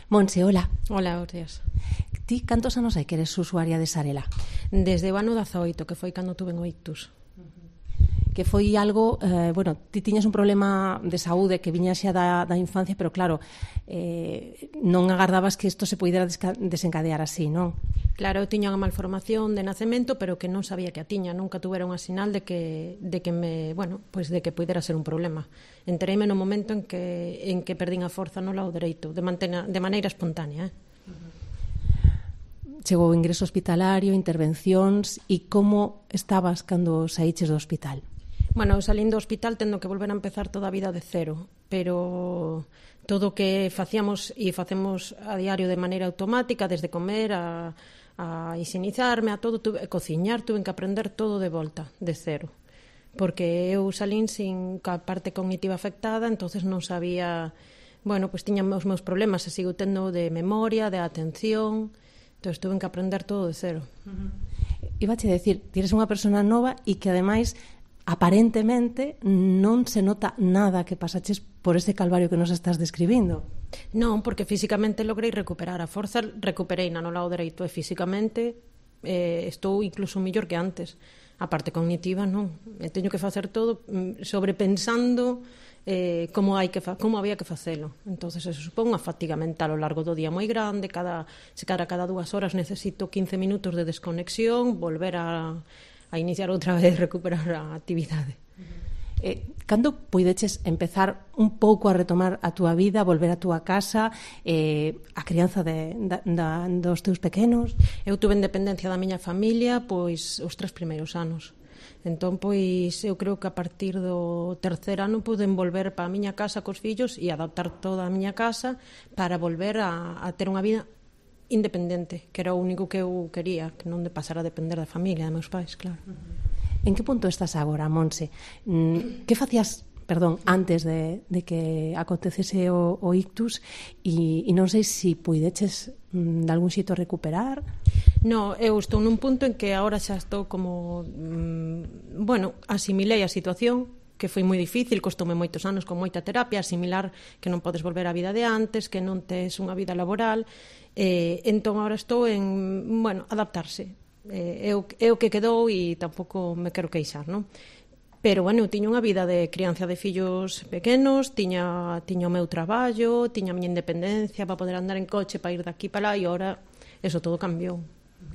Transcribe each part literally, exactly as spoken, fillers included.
Monse, hola. Hola, Ortias. Ti cantos anos hai que eres usuaria de Sarela? Desde o ano dezaoito, que foi cando tuve o ictus. Que foi algo, eh, bueno, ti tiñas un problema de saúde que viña xa da, da infancia, pero claro, eh, non agardabas que isto se pudera desencadear así, non? Claro, eu tiña unha malformación de nacemento, pero que non sabía que a tiña, nunca tuvera unha sinal de que de que me, bueno, pois de que pudera ser un problema. Entereime no momento en que en que perdín a forza no lado dereito, de mantena, de maneira espontánea, eh. Chegou o ingreso hospitalario, intervencións, e como estabas cando saíches do hospital? Bueno, salín do hospital tendo que volver a empezar toda a vida de cero, pero todo o que facíamos e facemos a diario de maneira automática, desde comer a, a higienizarme, a todo, tuve, a cociñar, tuve que aprender todo de volta, de cero. Porque eu salín sin a parte cognitiva afectada, entonces non sabía, bueno, pois tiña os meus problemas, e sigo tendo de memoria, de atención, entón tuve que aprender todo de cero. Uh-huh. Ibache decir, ti eres unha persona nova e que ademais aparentemente non se nota nada que pasaches por este calvario que nos estás describindo. Non, porque físicamente logrei recuperar a forza, recuperei na no lado dereito e físicamente eh, estou incluso mellor que antes. A parte cognitiva non, e teño que facer todo sobrepensando eh, como hai que fa- como había que facelo. Entonces eso supón unha fatiga mental ao largo do día moi grande, cada se cada cada dúas horas necesito quince minutos de desconexión, volver a a iniciar outra vez, recuperar a actividade. Eh, cando puideches empezar un pouco a retomar a túa vida, volver a túa casa, eh, a crianza de, da, da, dos teus pequenos? Eu tuve independencia da miña familia pois os tres primeiros anos. Entón, pois, eu creo que a partir do terceiro ano puden volver para a miña casa cos fillos e adaptar toda a miña casa para volver a, a ter unha vida independente, que era o único que eu quería, que non de pasar a depender da familia, dos meus pais, claro. En que punto estás agora, Monse? Que facías, perdón, antes de, de que acontecese o, o ictus e, e non sei se si puideches de algún xeito recuperar? No, eu estou nun punto en que agora xa estou como mmm, bueno, asimilei a situación, que foi moi difícil, costoume moitos anos con moita terapia asimilar que non podes volver á vida de antes, que non tes unha vida laboral. Eh, entón, agora estou en, bueno, adaptarse. Eh, eu, eu que quedou e tampouco me quero queixar, non? Pero, bueno, eu tiña unha vida de crianza de fillos pequenos, tiña, tiña o meu traballo, tiña a miña independencia para poder andar en coche, para ir daqui para lá, e agora eso todo cambiou,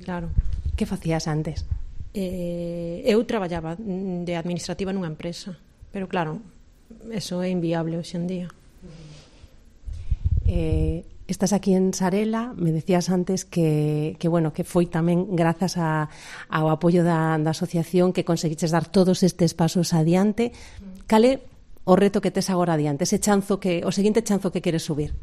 claro. Que facías antes? Eh, eu traballaba de administrativa nunha empresa, pero, claro, eso é inviable hoxe en día. Eh... Estás aquí en Sarela, me decías antes que, que bueno, que foi tamén grazas a, ao apoio da, da asociación que conseguiches dar todos estes pasos adiante. Cal é o reto que tes agora adiante, ese chanzo que, o seguinte chanzo que queres subir?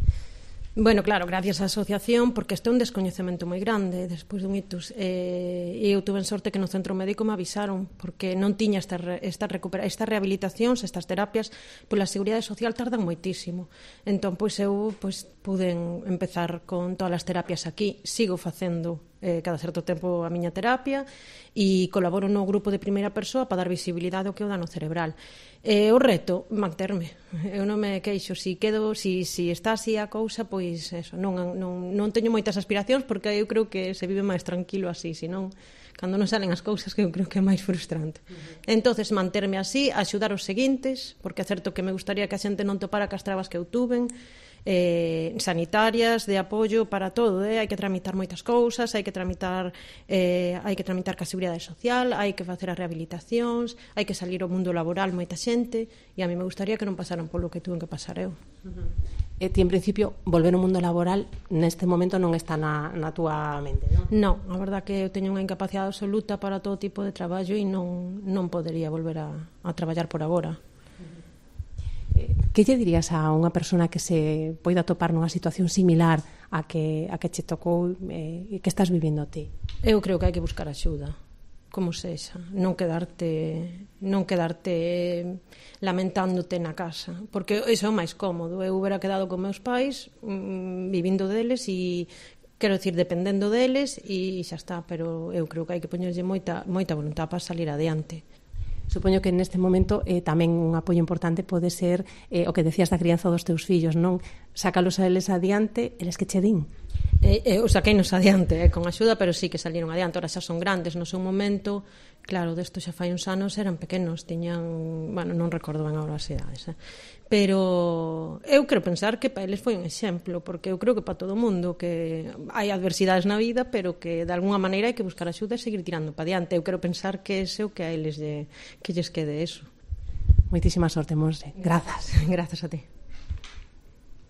Bueno, claro, gracias á asociación, porque este é un descoñecemento moi grande despois dun ictus, eh, e eu tuve en sorte que no centro médico me avisaron, porque non tiña esta, esta, recupera, esta rehabilitacións, estas terapias, pola Seguridade Social tardan moitísimo. Entón, pois eu pois, puden empezar con todas as terapias aquí, sigo facendo eh, cada certo tempo a miña terapia e colaboro no grupo de primeira persoa para dar visibilidade ao que é o dano cerebral. Eh, o reto, manterme. Eu non me queixo, si quedo, si, si está así a cousa, pois eso, non, non, non teño moitas aspiracións porque eu creo que se vive máis tranquilo así, senón cando non salen as cousas que eu creo que é máis frustrante. Uh-huh. Entonces, manterme así, axudar os seguintes, porque é certo que me gustaría que a xente non topara cas trabas que eu tuven, eh, sanitarias, de apoio para todo, eh? hai que tramitar moitas cousas, hai que tramitar eh, hai que tramitar ca Seguridade Social, hai que facer as rehabilitacións, hai que salir ao mundo laboral moita xente, e a mí me gustaría que non pasaran polo que tuven que pasar eu. Uh-huh. E ti, en principio, volver ao mundo laboral neste momento non está na, na túa mente, non? Non, a verdad que eu teño unha incapacidade absoluta para todo tipo de traballo e non, non podería volver a, a traballar por agora. Que lle dirías a unha persona que se poida topar nunha situación similar a que, a que che tocou e eh, que estás vivindo ti? Eu creo que hai que buscar axuda, como sexa, non quedarte non quedarte lamentándote na casa, porque iso é o máis cómodo. Eu hubiera quedado con meus pais mmm, vivindo deles e quero dicir, dependendo deles e xa está, pero eu creo que hai que poñerlle moita, moita voluntad para salir adiante. Supoño que neste momento eh, tamén un apoio importante pode ser eh, o que decías da crianza dos teus fillos, non? Sácalos a eles adiante, eles que che din. Eh, eh, o saqueinos adiante, eh, con axuda, pero sí que salieron adiante. Ora xa son grandes no seu momento. Claro, desto xa fai uns anos eran pequenos, tiñan, bueno, non recordo ben agora as idades, eh. Pero eu quero pensar que para eles foi un exemplo, porque eu creo que para todo o mundo que hai adversidades na vida, pero que de alguna maneira hai que buscar axuda e seguir tirando para diante. Eu quero pensar que ese o que a eles lle, que lles quede eso. Moitísima sorte, Monse. Grazas. Grazas a ti.